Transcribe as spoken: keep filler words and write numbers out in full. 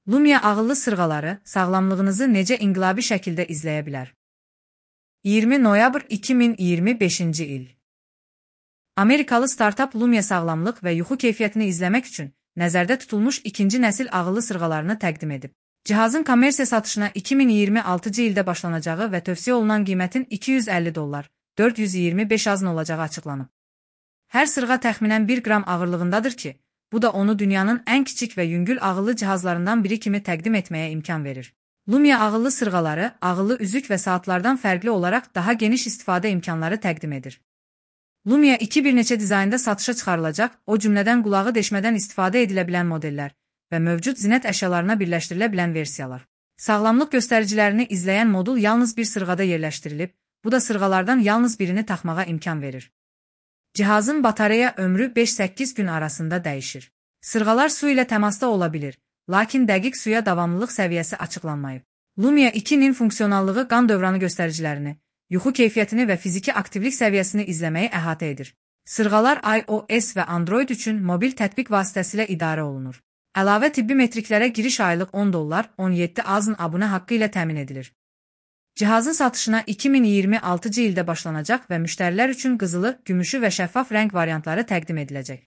Lumia ağıllı sırğaları sağlamlığınızı necə inqilabi şəkildə izləyə bilər? iyirmi noyabr iki min iyirmi beşinci il. Amerikalı startap Lumia sağlamlıq və yuxu keyfiyyətini izləmək üçün nəzərdə tutulmuş ikinci nəsil ağıllı sırğalarını təqdim edib. Cihazın kommersiya satışına iki min iyirmi altıncı ildə başlanacağı və tövsiyə olunan qiymətin iki yüz əlli dollar, dörd yüz iyirmi beş azın olacağı açıqlanıb. Hər sırğa təxminən bir qram ağırlığındadır ki, bu da onu dünyanın ən kiçik və yüngül ağıllı cihazlarından biri kimi təqdim etməyə imkan verir. Lumia ağıllı sırğaları, ağıllı üzük və saatlardan fərqli olaraq daha geniş istifadə imkanları təqdim edir. Lumia iki bir neçə dizaynda satışa çıxarılacaq, o cümlədən qulağı deşmədən istifadə edilə bilən modellər və mövcud zinət əşyalarına birləşdirilə bilən versiyalar. Sağlamlıq göstəricilərini izləyən modul yalnız bir sırğada yerləşdirilib, bu da sırğalardan yalnız birini taxmağa imkan verir. Cihazın batareya ömrü beş səkkiz gün arasında dəyişir. Sırğalar su ilə təmasda ola bilir, lakin dəqiq suya davamlılıq səviyyəsi açıqlanmayıb. Lumia ikinin funksionallığı qan dövranı göstəricilərini, yuxu keyfiyyətini və fiziki aktivlik səviyyəsini izləməyi əhatə edir. Sırğalar iOS və Android üçün mobil tətbiq vasitəsilə idarə olunur. Əlavə tibbi metriklərə giriş aylıq on dollar, on yeddi azın abunə haqqı ilə təmin edilir. Cihazın satışına iki min iyirmi altıncı ildə başlanacaq və müştərilər üçün qızılı, gümüşü və şəffaf rəng variantları təqdim ediləcək.